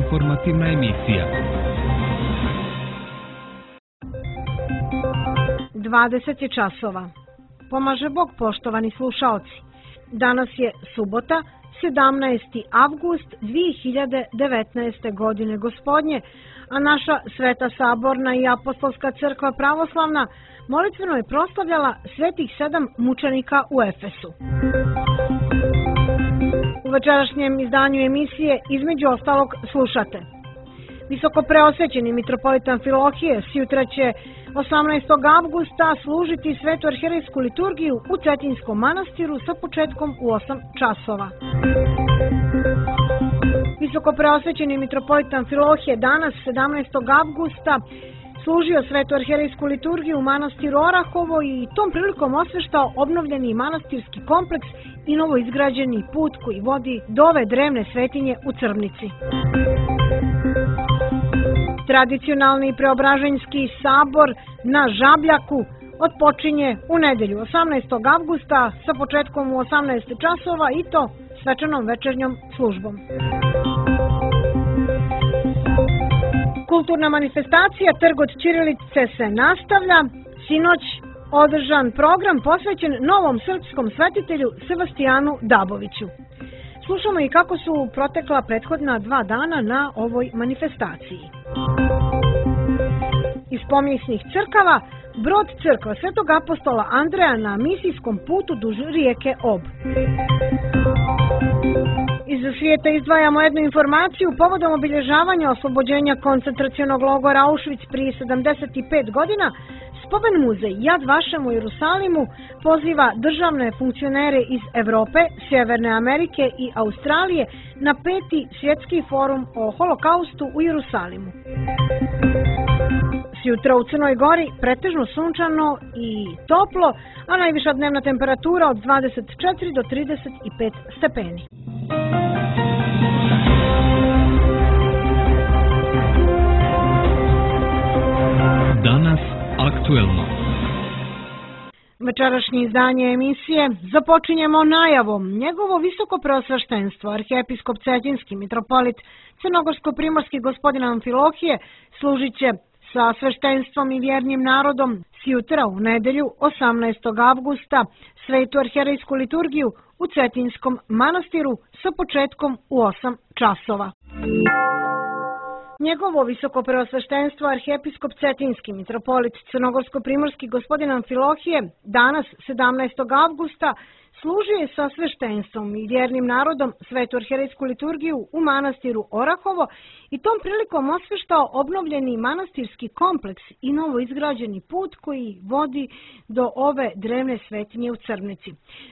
informativna emisija. 20 je časova. Pomaže Bog, poštovani slušaoci. Danas je subota, 17. avgust 2019. godine gospodnje, a naša Sveta Saborna i Apostolska crkva pravoslavna molitveno je proslavljala svetih 7 mučenika u Efesu. U večerašnjem izdanju emisije između ostalog slušate: visoko preosvećeni mitropolit Amfilohije sjutra će 18. avgusta služiti svetu arhijerejsku liturgiju u Cetinskom manastiru sa početkom u 8 časova. Visoko preosvećeni mitropolit Amfilohije danas 17. avgusta služio svetu arhijerejsku liturgiju u manastiru Orahovo i tom prilikom osveštao obnovljeni manastirski kompleks i novoizgrađeni put koji vodi do ove drevne svetinje u Crvnici. Tradicionalni Preobraženjski sabor na Žabljaku otpočinje u nedelju 18. avgusta sa početkom u 18 časova i to svečanom večernjom službom. Kulturna manifestacija Trg od ćirilice se nastavlja. Sinoć održan program posvećen novom srpskom svetitelju Sebastijanu Daboviću. Slušamo i kako su protekla prethodna 2 dana na ovoj manifestaciji. Iz pomisnih crkava brod crkva Svetog apostola Andreja na misijskom putu duž rijeke Ob. Iz svijeta izdvajamo jednu informaciju povodom obilježavanja oslobođenja koncentracionog logora Auschwitz prije 75 godina. Spomen muzej Yad Vashem u Jerusalimu poziva državne funkcionere iz Evrope, Sjeverne Amerike i Australije na 5. svjetski forum o holokaustu u Jerusalimu. Sjutra u Crnoj Gori pretežno sunčano i toplo, a najviša dnevna temperatura od 24 do 35 stepeni. Danas aktuelno. Večerašnje izdanje emisije započinjemo najavom. Njegovo visoko preosveštenstvo, arhijepiskop Cetinski mitropolit Crnogorsko-primorski gospodin Amfilohije služit će sa sveštenstvom i vjernim narodom sjutra u nedelju 18. avgusta svetu arhijerejsku liturgiju u Cetinskom manastiru sa početkom u 8 časova. Njegovo visoko preosveštenstvo arhijepiskop Cetinski mitropolit Crnogorsko-primorski gospodin Amfilohije danas 17. avgusta služio sa sveštenstvom i vjernim narodom svetu arhijerejsku liturgiju u manastiru Orahovo i tom prilikom osveštao obnovljeni manastirski kompleks i novo izgrađeni put koji vodi do ove drevne svetinje u Crvnici.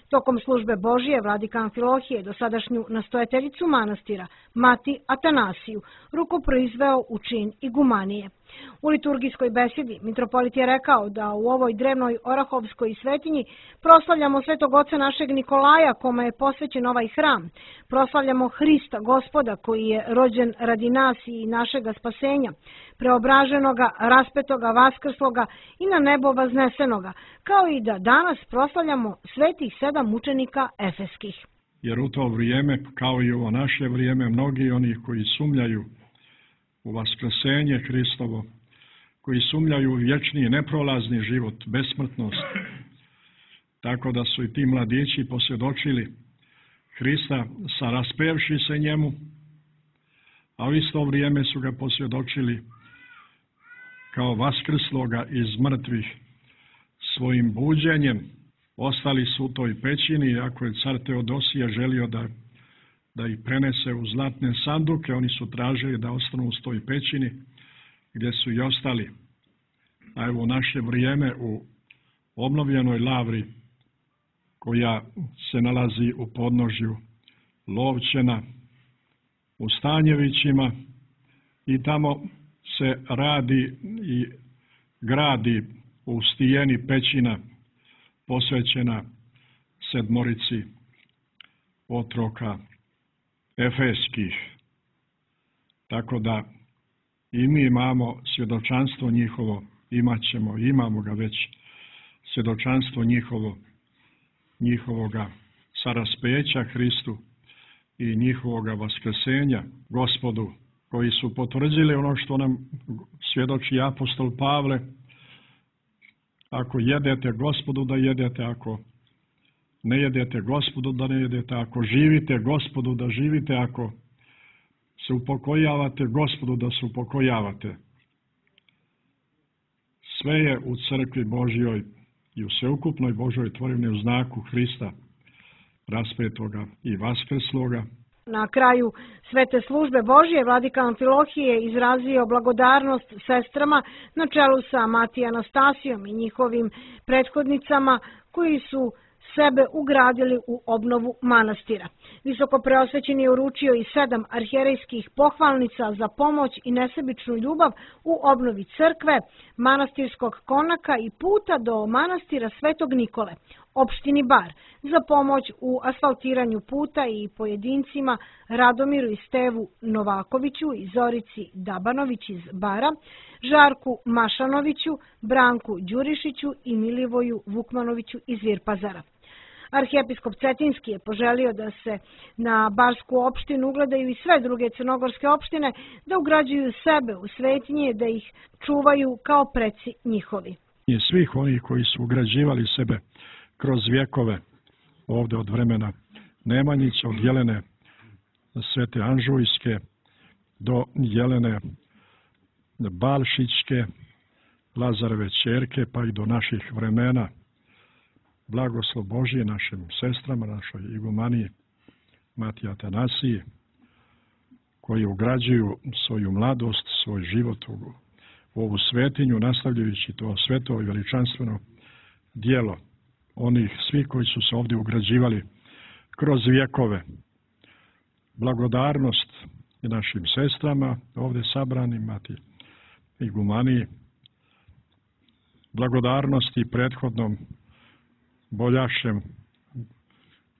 Tokom službe Božije vladika Amfilohije dosadašnju nastojateljicu manastira, mati Atanasiju, rukoproizveo u čin igumanije. U liturgijskoj besedi mitropolit je rekao da u ovoj drevnoj orahovskoj svetinji proslavljamo svetog oca našeg Nikolaja kome je posvećen ovaj hram. Proslavljamo Hrista Gospoda koji je rođen radi nas i našega spasenja, preobraženoga, raspetoga, vaskrsloga i na nebo vaznesenoga, kao i da danas proslavljamo svetih 7 mučenika efeskih. Jer u to vrijeme, kao i ovo naše vrijeme, mnogi oni koji sumnjaju u vaskrsenje Hristovo, koji sumnjaju u vječni neprolazni život, besmrtnost. Tako da su i ti mladići posvjedočili Hrista sa raspevši se njemu, a u isto vrijeme su ga posvjedočili kao vaskrsloga iz mrtvih svojim buđenjem. Ostali su u toj pećini, iako je car Teodosije želio da ih prenese u zlatne sanduke, oni su tražili da ostanu u toj pećini gdje su i ostali. A evo u naše vrijeme u obnovljenoj lavri koja se nalazi u podnožju Lovćena u Stanjevićima i tamo se radi i gradi u stijeni pećina posvećena 7 otroka efeskih. Tako da i mi imamo svjedočanstvo njihovo, imamo ga već, svjedočanstvo njihovoga saraspeća Hristu i njihovoga vaskrsenja Gospodu koji su potvrdili ono što nam svjedoči apostol Pavle: ako jedete Gospodu da jedete, ako ne jedete Gospodu da ne jedete, ako živite Gospodu da živite, ako se upokojavate Gospodu da se upokojavate. Sve je u crkvi Božjoj i u sveukupnoj Božjoj tvorevini u znaku Hrista raspetoga i vaskrsloga. Na kraju svete službe Božje vladika Amfilohije izrazio blagodarnost sestrama na čelu sa Matijom Anastasijom i njihovim prethodnicama koji su sebe ugradili u obnovu manastira. Visoko preosvećeni je uručio i 7 arhijerejskih pohvalnica za pomoć i nesebičnu ljubav u obnovi crkve, manastirskog konaka i puta do manastira Svetog Nikole, opštini Bar, za pomoć u asfaltiranju puta i pojedincima Radomiru i Stevu Novakoviću i Zorici Dabanović iz Bara, Žarku Mašanoviću, Branku Đurišiću i Milivoju Vukmanoviću iz Virpazara. Arhijepiskop Cetinski je poželio da se na Barsku opštinu ugledaju i sve druge crnogorske opštine, da ugrađuju sebe u svetinje, da ih čuvaju kao preci njihovi. I svih onih koji su ugrađivali sebe kroz vjekove, ovdje od vremena Nemanjića, od Jelene Svete Anžujske do Jelene Balšićke, Lazareve ćerke, pa i do naših vremena. Blagoslov Božije našim sestrama, našoj igumaniji Matiji Atanasiji, koji ugrađuju svoju mladost, svoj život u ovu svetinju, nastavljajući to sveto i veličanstveno djelo onih svih koji su se ovdje ugrađivali kroz vjekove. Blagodarnost i našim sestrama ovdje sabranim, Matiji igumaniji, blagodarnost i prethodnom boljašem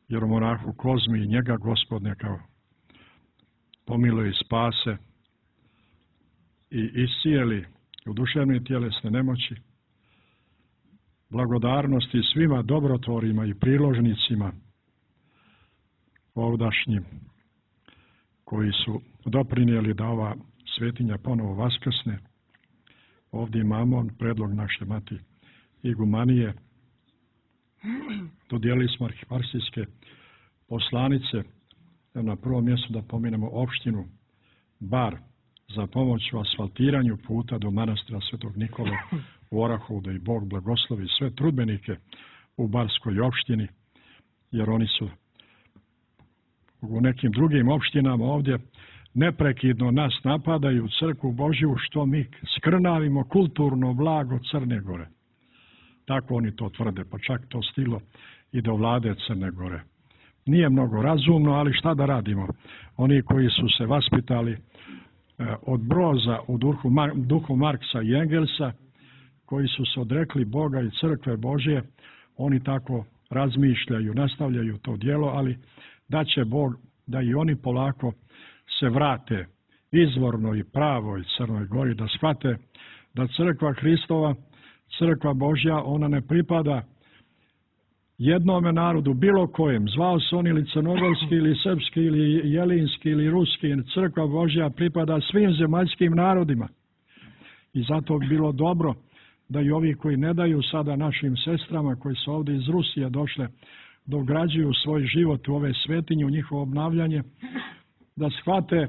jeromonahu Kozmi i njega Gospod neka pomiluje i spase i iscijeli u duševne tjelesne nemoći. Blagodarnosti svima dobrotvorima i priložnicima ovdašnjim koji su doprinijeli da ova svetinja ponovo vaskrsne. Ovdje imamo predlog naše Matije igumanije. Dodijelili smo arhijeparhijske poslanice. Na prvom mjestu da pomenemo opštinu Bar za pomoć u asfaltiranju puta do manastira Svetog Nikole u Orahovu, da i Bog blagoslovi sve trudbenike u Barskoj opštini, jer oni su u nekim drugim opštinama ovdje neprekidno nas napadaju, crkvu Božju, što mi skrnavimo kulturno blago Crne Gore. Tako oni to tvrde, pa čak to stiglo i do vlade Crne Gore. Nije mnogo razumno, ali šta da radimo? Oni koji su se vaspitali od Broza u duhu Marksa i Engelsa, koji su se odrekli Boga i crkve Božje, oni tako razmišljaju, nastavljaju to djelo, ali da će Bog da i oni polako se vrate izvornoj i pravoj Crnoj Gori, da shvate da crkva Hristova, crkva Božja, ona ne pripada jednome narodu, bilo kojem, zvao se on ili crnogorski, ili srpski, ili jelinski, ili ruski. Crkva Božja pripada svim zemaljskim narodima. I zato bi bilo dobro da i ovi koji ne daju sada našim sestrama, koji su ovdje iz Rusije došle, da ugrađuju svoj život u ove svetinje, u njihovo obnavljanje, da shvate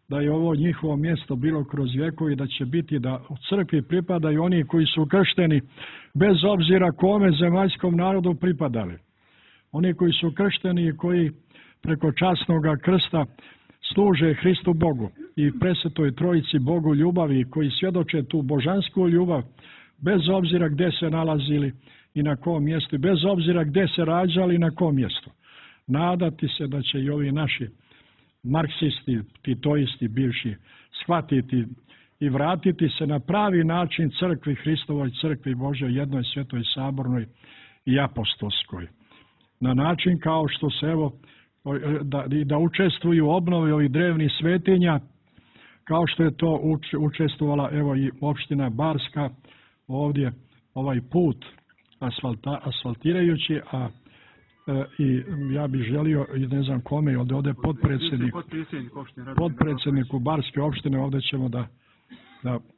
da je ovo njihovo mjesto bilo kroz vjekove i da će biti da u crkvi pripadaju oni koji su kršteni, bez obzira kome zemaljskom narodu pripadali. Oni koji su kršteni i koji preko časnog krsta služe Hristu Bogu i presvetoj Trojici Bogu ljubavi, koji svjedoče tu božansku ljubav, bez obzira gdje se nalazili i na kom mjestu, bez obzira gdje se rađali i na kom mjestu. Nadati se da će i ovi naši marksisti, titoisti bivši shvatiti i vratiti se na pravi način crkvi Hristovoj, crkvi Božoj, jednoj svetoj sabornoj i apostolskoj. Na način kao što se da učestvuju u obnovi ovih drevnih svetinja, kao što je to učestvovala i opština Barska ovdje, ovaj put asfaltirajući, a i ja bih želio, i ne znam kome, ovdje potpredsjedniku Barske opštine, ovdje ćemo da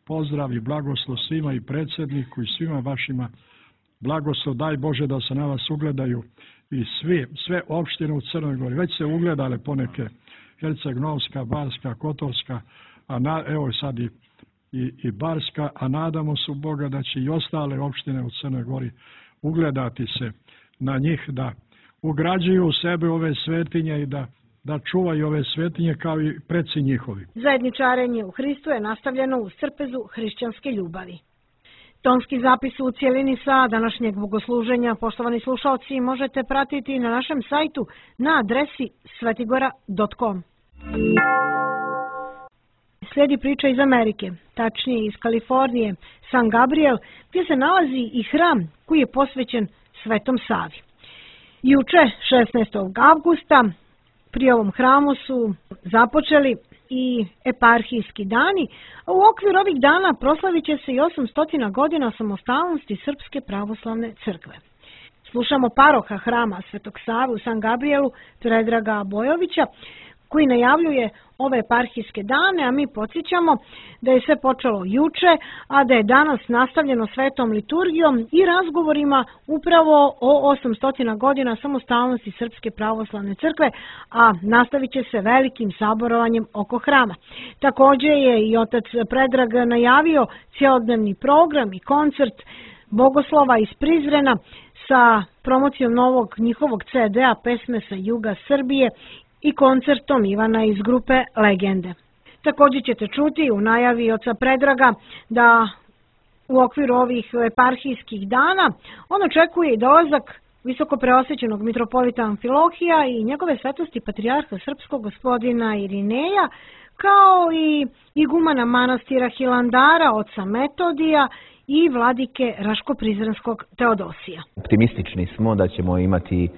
pozdravi blagoslov svima i predsjedniku i svima vašima. Blagoslov, daj Bože da se na vas ugledaju i sve opštine u Crnoj Gori. Već se ugledale poneke, Herceg-Novska, Barska, Kotorska, a evo sad i Barska, a nadamo se u Boga da će i ostale opštine u Crnoj Gori ugledati se na njih, da ugrađuju u sebe ove svetinje i da čuvaju ove svetinje kao i preci njihovi. Zajedničarenje u Hristu je nastavljeno u crpezu hrišćanske ljubavi. Tonski zapis u cijelini sa današnjeg bogosluženja, poštovani slušalci, možete pratiti na našem sajtu na adresi svetigora.com. Slijedi priča iz Amerike, tačnije iz Kalifornije, San Gabriel, gdje se nalazi i hram koji je posvećen Svetom Savi. Juče, 16. avgusta, pri ovom hramu su započeli i eparhijski dani, a u okviru ovih dana proslavit će se i 800 godina samostalnosti Srpske pravoslavne crkve. Slušamo paroha hrama Svetog Save u San Gabrielu, Predraga Bojovića, koji najavljuje ove eparhijske dane, a mi podsjećamo da je sve počelo juče, a da je danas nastavljeno svetom liturgijom i razgovorima upravo o 800 godina samostalnosti Srpske pravoslavne crkve, a nastavit će se velikim saborovanjem oko hrama. Također je i otac Predrag najavio cjelodnevni program i koncert bogoslova iz Prizrena sa promocijom novog njihovog CD-a Pesme sa juga Srbije i koncertom Ivana iz grupe Legende. Također ćete čuti u najavi oca Predraga da u okviru ovih eparhijskih dana on očekuje i dolazak visoko preosvećenog mitropolita Amfilohija i njegove svetosti patrijarha srpskog gospodina Irineja, kao i igumana manastira Hilandara oca Metodija i vladike Raško-Prizrenskog Teodosija. Optimistični smo da ćemo imati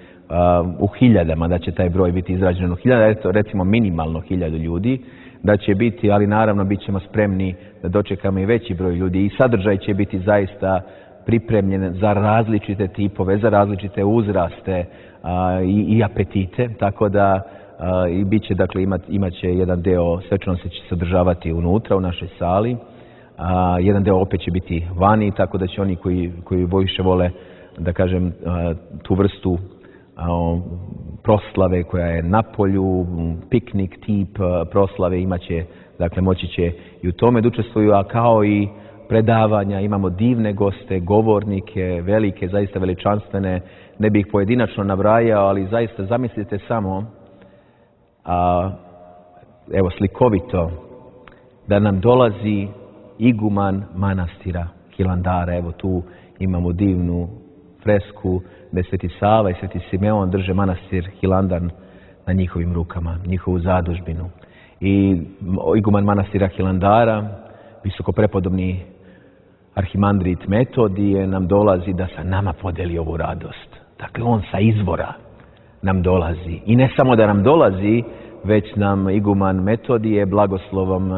u hiljadama, da će taj broj biti izrađen u hiljada, recimo minimalno 1000 ljudi, da će biti, ali naravno bit ćemo spremni da dočekamo i veći broj ljudi i sadržaj će biti zaista pripremljen za različite tipove, za različite uzraste i apetite, tako da i bit će, dakle, imat će jedan deo svečanosti će se održavati unutra u našoj sali, jedan deo opet će biti vani, tako da će oni koji više vole, da kažem, tu vrstu proslave koja je na polju, piknik tip proslave imaće, dakle moći će i u tome da učestvuju, a kao i predavanja, imamo divne goste, govornike, velike, zaista veličanstvene, ne bih pojedinačno nabrajao, ali zaista zamislite samo, evo slikovito, da nam dolazi iguman manastira Hilandara, evo tu imamo divnu fresku da je Sveti Sava i Sveti Simeon drže manastir Hilandar na njihovim rukama, njihovu zadužbinu. I iguman manastira Hilandara, visoko prepodobni arhimandrit Metodije nam dolazi da sa nama podeli ovu radost. Dakle, on sa izvora nam dolazi. I ne samo da nam dolazi, već nam iguman Metodije blagoslovom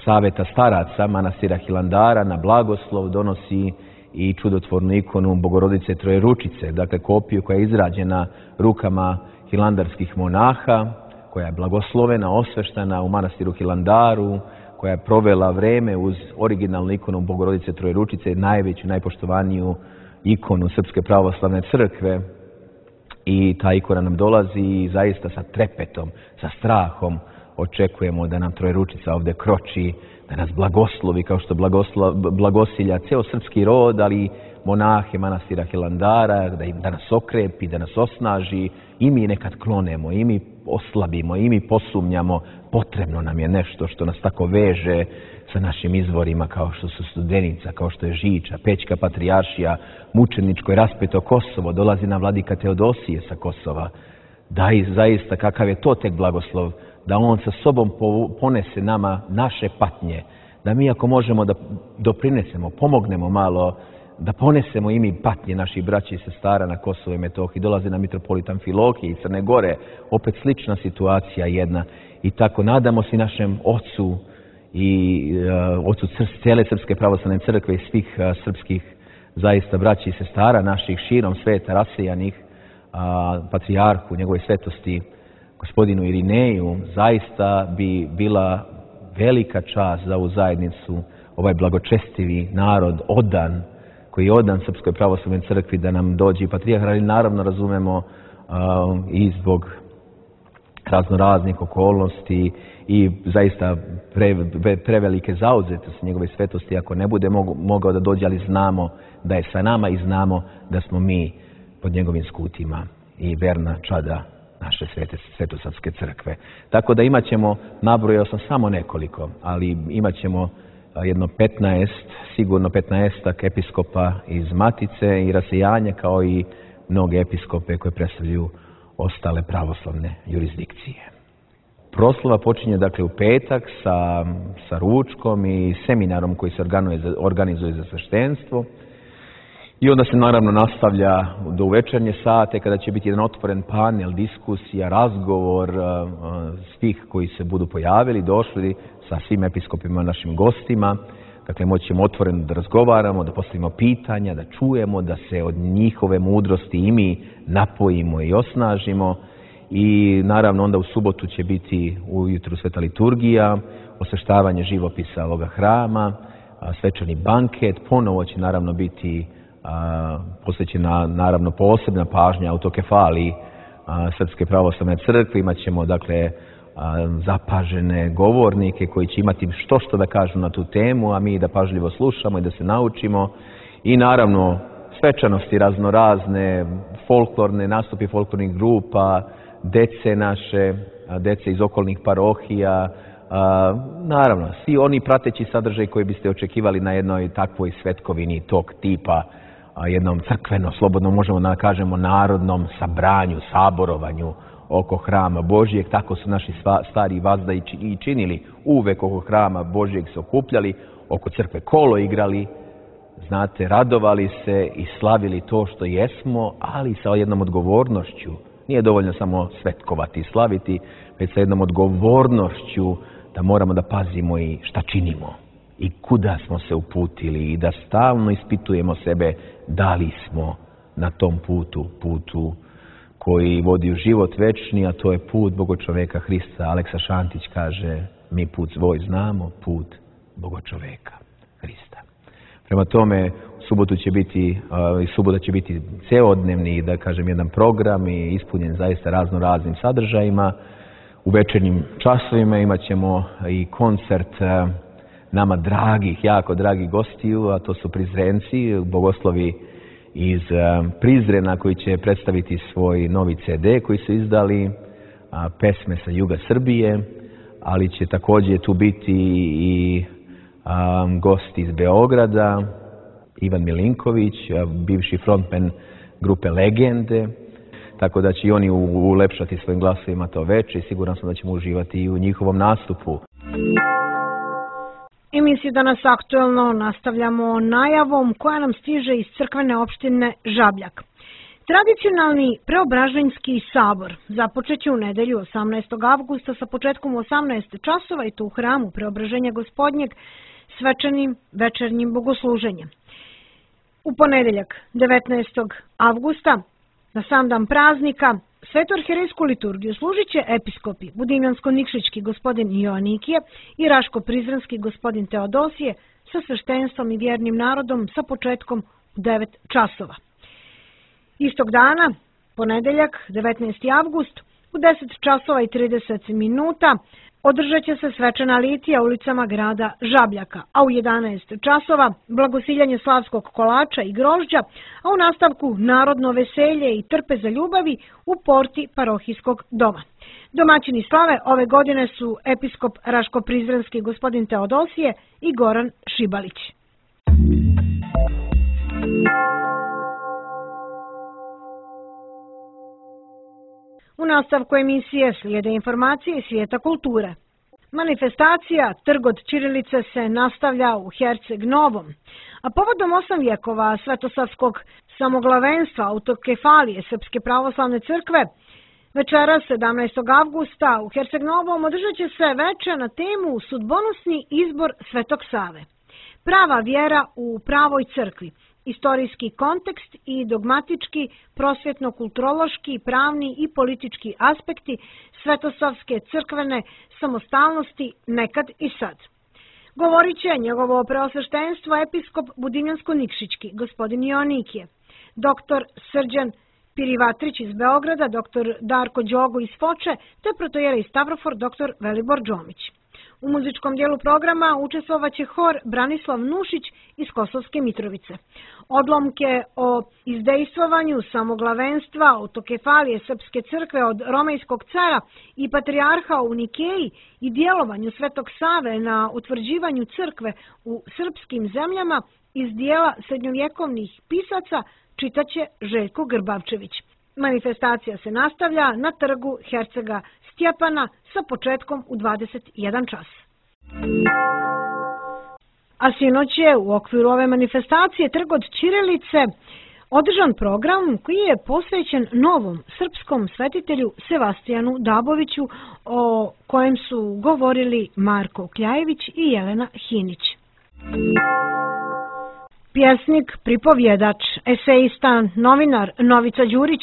Saveta staraca manastira Hilandara na blagoslov donosi i čudotvornu ikonu Bogorodice Trojeručice, dakle kopiju koja je izrađena rukama hilandarskih monaha, koja je blagoslovena, osveštena u manastiru Hilandaru, koja je provela vreme uz originalnu ikonu Bogorodice Trojeručice, najveću, najpoštovaniju ikonu Srpske pravoslavne crkve. I ta ikona nam dolazi i zaista sa trepetom, sa strahom očekujemo da nam Trojeručica ovdje kroči, da nas blagoslovi kao što blagosilja ceo srpski rod, ali monahe manastira Hilandara, da nas okrepi, da nas osnaži. I mi nekad klonemo, i mi oslabimo, i mi posumnjamo. Potrebno nam je nešto što nas tako veže sa našim izvorima kao što su Studenica, kao što je Žiča, Pećka patrijaršija, mučeničko i raspeto Kosovo, dolazi nam vladika Teodosije sa Kosova. Da i zaista kakav je to tek blagoslov, da on sa sobom ponese nama naše patnje, da mi ako možemo da doprinesemo, pomognemo malo, da ponesemo i mi patnje naših braća i sestara na Kosovo i Metohiji. Dolazi nam mitropolit Amfilohije iz Crne Gore, opet slična situacija jedna. I tako nadamo se našem ocu i ocu cijele Srpske pravoslavne crkve i svih srpskih zaista braća i sestara naših širom sveta rasejanih, patrijarhu njegove svetosti gospodinu Irineju, zaista bi bila velika čast za ovu zajednicu, ovaj blagočestivi narod odan, koji je odan Srpskoj pravoslavnoj crkvi, da nam dođe i patrijarh, ali naravno razumemo i zbog raznoraznih okolnosti i zaista prevelike zauzetosti njegove svetosti, ako ne bude mogao da dođe, ali znamo da je sa nama i znamo da smo mi pod njegovim skutima i verna čada naše Svetosavske crkve. Tako da imat ćemo, nabrojao sam samo nekoliko, ali imat ćemo jedno 15, sigurno 15 episkopa iz Matice i rasejanja, kao i mnoge episkope koje predstavljaju ostale pravoslavne jurisdikcije. Proslava počinje dakle u petak sa ručkom i seminarom koji se organizuje za sveštenstvo. I onda se naravno nastavlja do večernje sate, kada će biti jedan otvoren panel, diskusija, razgovor svih koji se budu pojavili, došli sa svim episkopima, našim gostima. Dakle, moćemo otvoreno da razgovaramo, da postavimo pitanja, da čujemo, da se od njihove mudrosti i mi napojimo i osnažimo. I naravno onda u subotu će biti ujutru sveta liturgija, osveštavanje živopisa ovoga hrama, svečani banket, ponovo će naravno biti posvećena naravno posebna pažnja autokefaliji Srpske pravoslavne crkve. Imat ćemo dakle zapažene govornike koji će imati što da kažu na tu temu, a mi da pažljivo slušamo i da se naučimo. I naravno svečanosti raznorazne, folklorne, nastupi folklornih grupa, dece naše, dece iz okolnih parohija, naravno svi oni prateći sadržaj koji biste očekivali na jednoj takvoj svetkovini tog tipa, jednom crkveno, slobodno možemo da kažemo narodnom sabranju, saborovanju oko hrama Božijeg. Tako su naši stari vazda i činili. Uvek oko hrama Božijeg se okupljali, oko crkve kolo igrali, znate, radovali se i slavili to što jesmo, ali sa jednom odgovornošću. Nije dovoljno samo svetkovati i slaviti, već sa jednom odgovornošću da moramo da pazimo i šta činimo i kuda smo se uputili i da stalno ispitujemo sebe da li smo na tom putu koji vodi u život večni, a to je put Bogočoveka Hrista. Aleksa Šantić kaže, mi put svoj znamo, put Bogočoveka Hrista. Prema tome, subota će biti celodnevni, da kažem, jedan program i ispunjen zaista raznoraznim sadržajima. U večernjim časovima imat ćemo i koncert nama dragih, jako dragih gostiju, a to su Prizrenci, bogoslovi iz Prizrena koji će predstaviti svoj novi CD koji su izdali, pesme sa juga Srbije, ali će također tu biti i gosti iz Beograda, Ivan Milinković, bivši frontman grupe Legende, tako da će i oni ulepšati svojim glasovima to veče i siguran sam da ćemo uživati i u njihovom nastupu. Emisiju Danas aktuelno nastavljamo najavom koja nam stiže iz crkvene opštine Žabljak. Tradicionalni Preobraženjski sabor započeće u nedelju 18. avgusta sa početkom u 18 časova i to u hramu Preobraženja Gospodnjeg svečanim večernjim bogosluženjem. U ponedeljak 19. avgusta na sam dan praznika Sveto-arherejsku liturgiju služit će episkopi Budimljansko-Nikšićki gospodin Joanikije i Raško-Prizrenski gospodin Teodosije sa sveštenstvom i vjernim narodom sa početkom u 9 časova. Istog dana, ponedeljak 19. avgust, u 10 časova i 30 minuta održat će se svečana litija ulicama grada Žabljaka, a u 11 časova blagosiljanje slavskog kolača i grožđa, a u nastavku narodno veselje i trpe za ljubavi u porti parohijskog doma. Domaćini slave ove godine su episkop Raško-Prizrenski gospodin Teodosije i Goran Šibalić. U nastavku emisije slijede informacije iz svijeta kulture. Manifestacija Trg od ćirilice se nastavlja u Herceg Novom, a povodom 8 vjekova svetosavskog samoglavenstva autokefalije Srpske pravoslavne crkve, večeras 17. avgusta u Herceg Novom održat će se veče na temu Sudbonosni izbor Svetog Save. Prava vjera u pravoj crkvi istorijski kontekst i dogmatički, prosvjetno-kulturološki, pravni i politički aspekti svetosavske crkvene samostalnosti nekad i sad. Govorit će njegovo preosveštenstvo episkop Budinjansko-Nikšićki, gospodin Joanikije, doktor Srđan Pirivatrić iz Beograda, doktor Darko Đogo iz Foče, te protojerej Stavrofor, doktor Velibor Džomić. U muzičkom dijelu programa učestvovaće hor Branislav Nušić iz Kosovske Mitrovice. Odlomke o izdejstvovanju samoglavenstva autokefalije Srpske crkve od Romejskog cara i patrijarha u Nikeji i djelovanju Svetog Save na utvrđivanju crkve u srpskim zemljama iz dijela srednjovjekovnih pisaca čitaće Željko Grbavčević. Manifestacija se nastavlja na trgu Hercega Stjepana sa početkom u 21 čas. A sinoć je u okviru ove manifestacije Trg od ćirilice održan program koji je posvećen novom srpskom svetitelju Sevastijanu Daboviću, o kojem su govorili Marko Kljajević i Jelena Hinić. Pjesnik, pripovjedač, esejista, novinar Novica Đurić,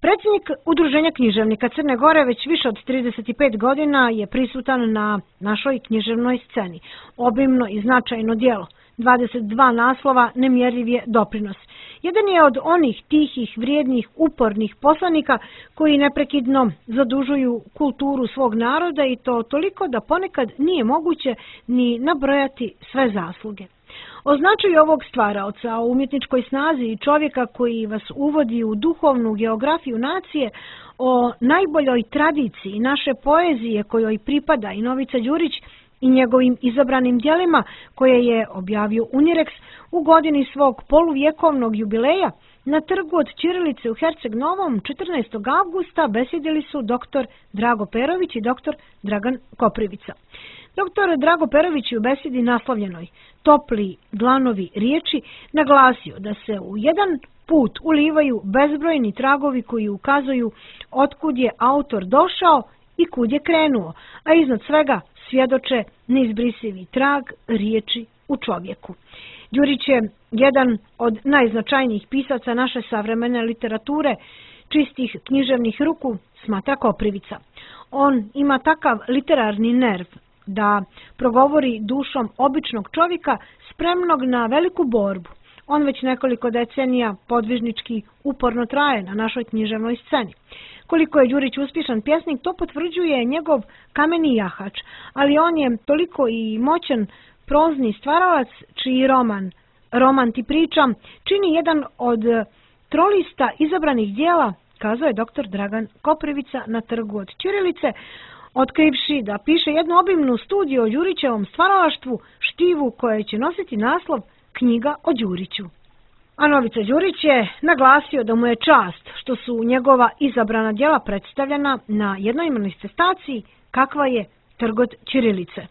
predsjednik Udruženja književnika Crne Gore, već više od 35 godina je prisutan na našoj književnoj sceni. Obimno i značajno djelo, 22 naslova, nemjerljiv je doprinos. Jedan je od onih tihih, vrijednih, upornih poslanika koji neprekidno zadužuju kulturu svog naroda i to toliko da ponekad nije moguće ni nabrojati sve zasluge. O značaju ovog stvaraoca, o umjetničkoj snazi i čovjeka koji vas uvodi u duhovnu geografiju nacije, o najboljoj tradiciji naše poezije kojoj pripada i Novica Đurić i njegovim izabranim djelima koje je objavio Unirex u godini svog poluvjekovnog jubileja, na Trgu od ćirilice u Herceg Novom 14. avgusta besjedili su dr. Drago Perović i dr. Dragan Koprivica. Dr. Drago Perović je u besjedi naslovljenoj Topli dlanovi riječi naglasio da se u jedan put ulivaju bezbrojni tragovi koji ukazuju otkud je autor došao i kud je krenuo, a iznad svega svjedoče neizbrisivi trag riječi u čovjeku. Đurić je jedan od najznačajnijih pisaca naše savremene literature, čistih književnih ruku, smatra Koprivica. On ima takav literarni nerv da progovori dušom običnog čovjeka spremnog na veliku borbu. On već nekoliko decenija podvižnički uporno traje na našoj književnoj sceni. Koliko je Đurić uspješan pjesnik, to potvrđuje njegov kameni jahač, ali on je toliko i moćan prozni stvaralac čiji roman ti pričam, čini jedan od trolista izabranih dijela, kazao je dr. Dragan Koprivica na Trgu od ćirilice, otkrivši da piše jednu obimnu studiju o Đurićevom stvaralaštvu, štivu koje će nositi naslov Knjiga o Đuriću. A Novica Đurić je naglasio da mu je čast što su njegova izabrana djela predstavljena na jednoj manifestaciji kakva je Trg od ćirilice.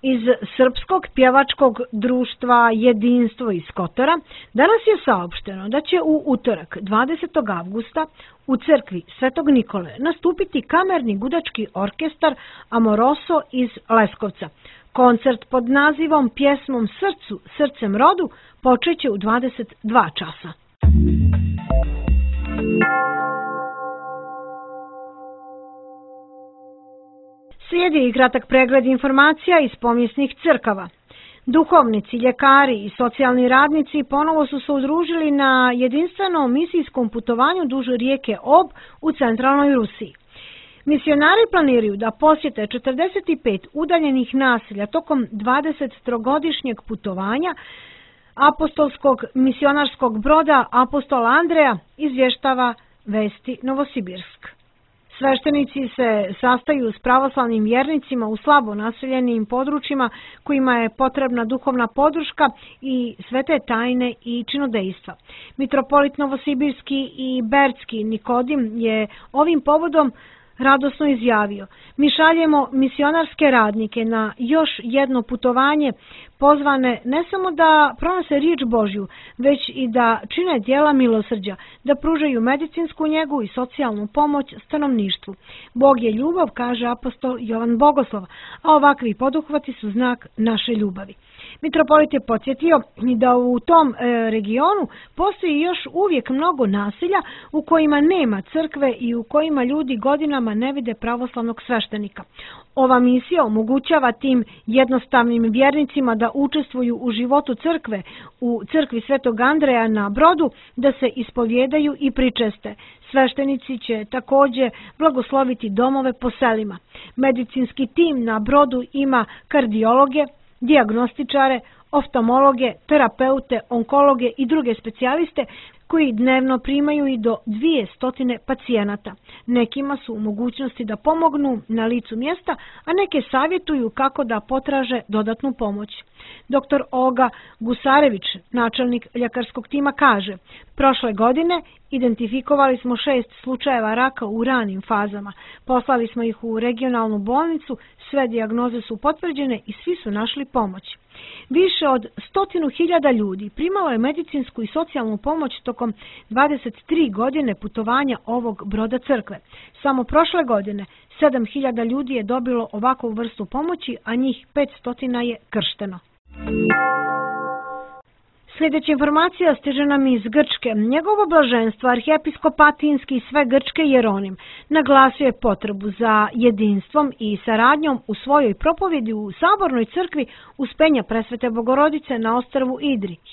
Iz Srpskog pjevačkog društva Jedinstvo iz Kotora danas je saopšteno da će u utorak 20. avgusta u crkvi Svetog Nikole nastupiti kamerni gudački orkestar Amoroso iz Leskovca. Koncert pod nazivom Pjesmom srcu, srcem rodu počeće u 22 časa. Slijedi i kratak pregled informacija iz povijesnih crkava. Duhovnici, ljekari i socijalni radnici ponovo su se udružili na jedinstvenom misijskom putovanju duž rijeke Ob u centralnoj Rusiji. Misionari planiraju da posjete 45 udaljenih naselja tokom 23-godišnjeg putovanja apostolskog misionarskog broda Apostola Andreja, izvještava Vesti Novosibirsk. Sveštenici se sastaju s pravoslavnim vjernicima u slabo naseljenim područjima kojima je potrebna duhovna podrška i svete tajne i činodejstva. Mitropolit Novosibirski i Berdski Nikodim je ovim povodom radosno izjavio: mi šaljemo misionarske radnike na još jedno putovanje, pozvane ne samo da pronose riječ Božju, već i da čine djela milosrđa, da pružaju medicinsku njegu i socijalnu pomoć stanovništvu. Bog je ljubav, kaže apostol Jovan Bogoslov, a ovakvi poduhvati su znak naše ljubavi. Mitropolit je podsjetio da u tom regionu postoji još uvijek mnogo naselja u kojima nema crkve i u kojima ljudi godinama ne vide pravoslavnog sveštenika. Ova misija omogućava tim jednostavnim vjernicima da učestvuju u životu crkve u crkvi Svetog Andreja na Brodu, da se ispovjedaju i pričeste. Sveštenici će također blagosloviti domove po selima. Medicinski tim na Brodu ima kardiologe, dijagnostičare, oftalmologe, terapeute, onkologe i druge specijaliste koji dnevno primaju i do 200 pacijenata. Nekima su u mogućnosti da pomognu na licu mjesta, a neke savjetuju kako da potraže dodatnu pomoć. Dr. Olga Gusarević, načelnik ljekarskog tima, kaže: prošle godine identifikovali smo 6 slučajeva raka u ranim fazama. Poslali smo ih u regionalnu bolnicu, sve dijagnoze su potvrđene i svi su našli pomoć. Više od 100.000 ljudi primalo je medicinsku i socijalnu pomoć tokom 23 godine putovanja ovog broda crkve. Samo prošle godine 7.000 ljudi je dobilo ovakvu vrstu pomoći, a njih 500 je kršteno. Sljedeća informacija stiže nam iz Grčke. Njegovo blaženstvo, arhijepiskop Atinski i sve Grčke Jeronim, naglasio je potrebu za jedinstvom i saradnjom u svojoj propovjedi u Sabornoj crkvi Uspenja Presvete Bogorodice na ostrvu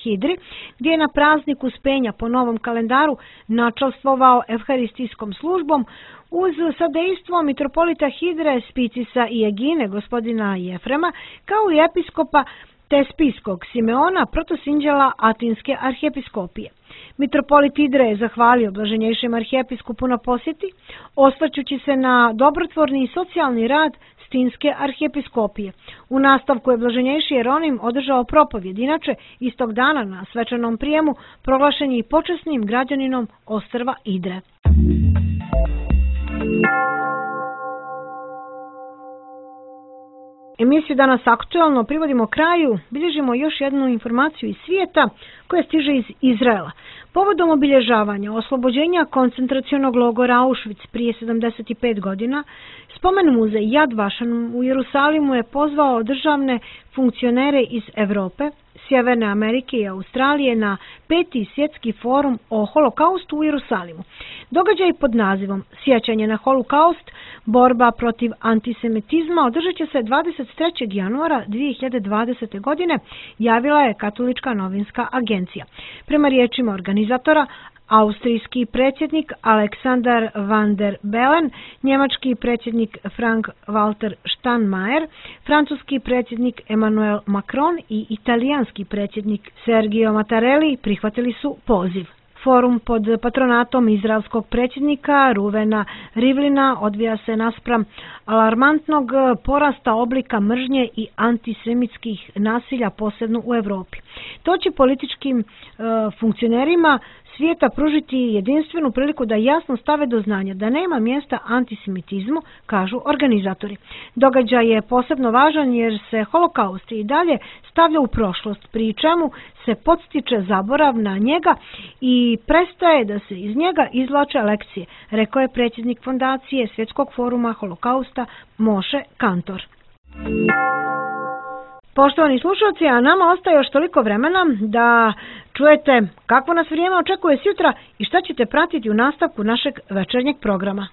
Hidri, gdje je na praznik Uspenja po novom kalendaru načalstvovao evharistijskom službom uz sadejstvo mitropolita Hidre, Spicisa i Egine, gospodina Jefrema, kao i episkopa Tespiskog Simeona, protosinđela Atinske arhijepiskopije. Mitropolit Hidre je zahvalio blaženjejšem arhijepiskupu na posjeti, osvrćući se na dobrotvorni i socijalni rad Stinske arhijepiskopije. U nastavku je blaženjejši Jeronim održao propovjed. Inače, istog dana na svečanom prijemu proglašen je i počasnim građaninom ostrva Hidre. Emisiju Danas aktuelno privodimo kraju, bilježimo još jednu informaciju iz svijeta koja stiže iz Izraela. Povodom obilježavanja oslobođenja koncentracionog logora Auschwitz prije 75 godina, spomen muzej Yad Vashem u Jerusalimu je pozvao državne funkcionere iz Europe, Sjeverne Amerike i Australije na 5. svjetski forum o holokaustu u Jerusalimu. Događaj pod nazivom Sjećanje na holokaust, borba protiv antisemitizma održat će se 23. januara 2020. godine, javila je Katolička novinska agencija. Prema riječima organizatora, austrijski predsjednik Alexander van der Bellen, njemački predsjednik Frank-Walter Steinmeier, francuski predsjednik Emmanuel Macron i italijanski predsjednik Sergio Mattarelli prihvatili su poziv. Forum pod patronatom izraelskog predsjednika Ruvena Rivlina odvija se naspram alarmantnog porasta oblika mržnje i antisemitskih nasilja, posebno u Europi. To će političkim funkcionerima svijeta pružiti jedinstvenu priliku da jasno stave do znanja da nema mjesta antisemitizmu, kažu organizatori. Događaj je posebno važan jer se holokaust i dalje stavlja u prošlost, pri čemu se podstiče zaborav na njega i prestaje da se iz njega izvlače lekcije, rekao je predsjednik fondacije Svjetskog foruma holokausta Moshe Kantor. Poštovani slušalci, a nama ostaje još toliko vremena da čujete kakvo nas vrijeme očekuje sutra i šta ćete pratiti u nastavku našeg večernjeg programa.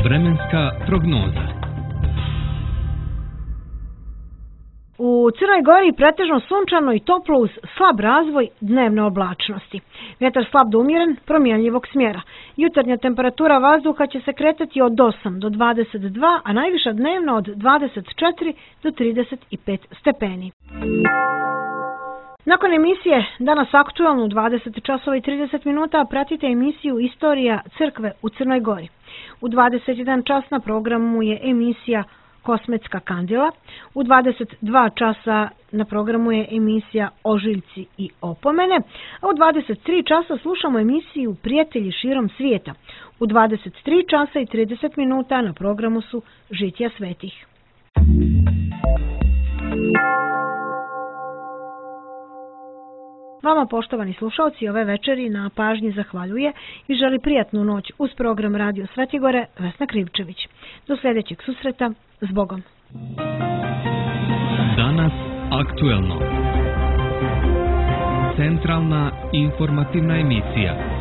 Vremenska prognoza. U Crnoj Gori pretežno sunčano i toplo uz slab razvoj dnevne oblačnosti. Vjetar slab do umjeren, promjenljivog smjera. Jutarnja temperatura vazduha će se kretati od 8 do 22, a najviša dnevno od 24 do 35 stepeni. Nakon emisije Danas aktuelno u 20 časova i 30 minuta pratite emisiju Istorija crkve u Crnoj Gori. U 21 čas na programu je emisija Kosmetska kandila. U 22 časa na programu je emisija Ožiljci i opomene, a u 23 časa slušamo emisiju Prijatelji širom svijeta. U 23 časa i 30 minuta na programu su Žitja svetih. Vama, poštovani slušalci, ove večeri na pažnji zahvaljuje i želi prijatnu noć uz program Radio Svetigore Vesna Krivčević. Do sljedećeg susreta, s Bogom. Danas aktuelno. Centralna informativna emisija.